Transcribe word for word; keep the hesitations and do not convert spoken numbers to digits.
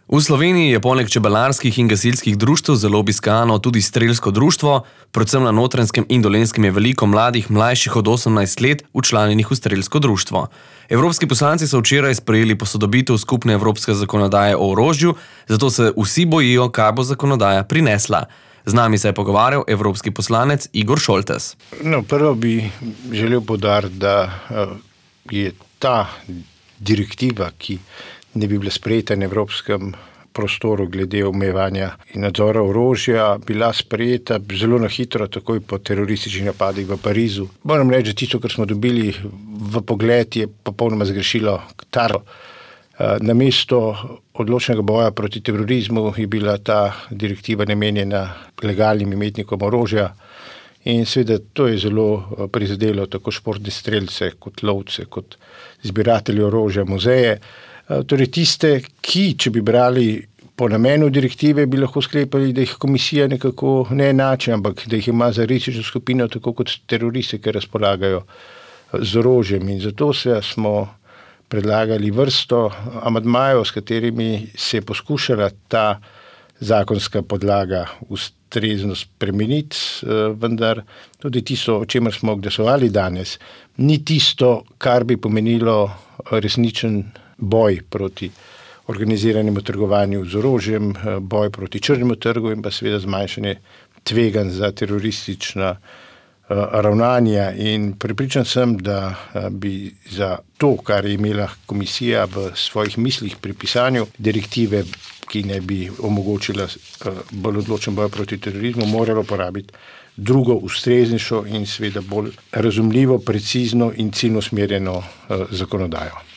V Sloveniji je poleg čebelarskih in gasilskih društev zelo obiskano tudi strelsko društvo, predvsem na Notranjskem in Dolenjskem je veliko mladih, mlajših od osemnajst let, včlanjenih v strelsko društvo. Evropski poslanci so včeraj sprejeli posodobitev skupne evropske zakonodaje o orožju, zato se vsi bojijo, kaj bo zakonodaja prinesla. Z nami se je pogovarjal evropski poslanec Igor Šoltes. No, prvo bi želel poudariti, da je ta direktiva, ki ne bi bila sprejeta na evropskem prostoru glede omejevanja in nadzora orožja, bila sprejeta zelo na hitro, takoj po terorističnih napadih v Parizu. Moram reči, da tisto, kar smo dobili v pogled, je popolnoma zgrešilo taro. Namesto odločnega boja proti terorizmu je bila ta direktiva namenjena legalnim imetnikom orožja in seveda to je zelo prizadelo tako športne strelce, kot lovce, kot zbiratelje orožja, muzeje. Torej tiste, ki, če bi brali po namenu direktive, bi lahko sklepali, da jih komisija nekako ne enači, ampak da jih ima za rizično skupino, tako kot teroriste, ki razpolagajo z orožjem. In zato se smo predlagali vrsto amandmajev, s katerimi se je poskušala ta zakonska podlaga ustrezno spremeniti, vendar tudi tisto, o čemer smo glasovali danes, ni tisto, kar bi pomenilo resničen boj proti organiziranemu trgovanju z orožjem, boj proti črnemu trgu in pa seveda zmanjšanje tveganj za teroristična ravnanja. In prepričan sem, da bi za to, kar je imela komisija v svojih mislih pri pisanju direktive, ki ne bi omogočila bolj odločen boj proti terorizmu, moralo porabiti drugo, ustreznejšo in seveda bolj razumljivo, precizno in ciljno usmerjeno zakonodajo.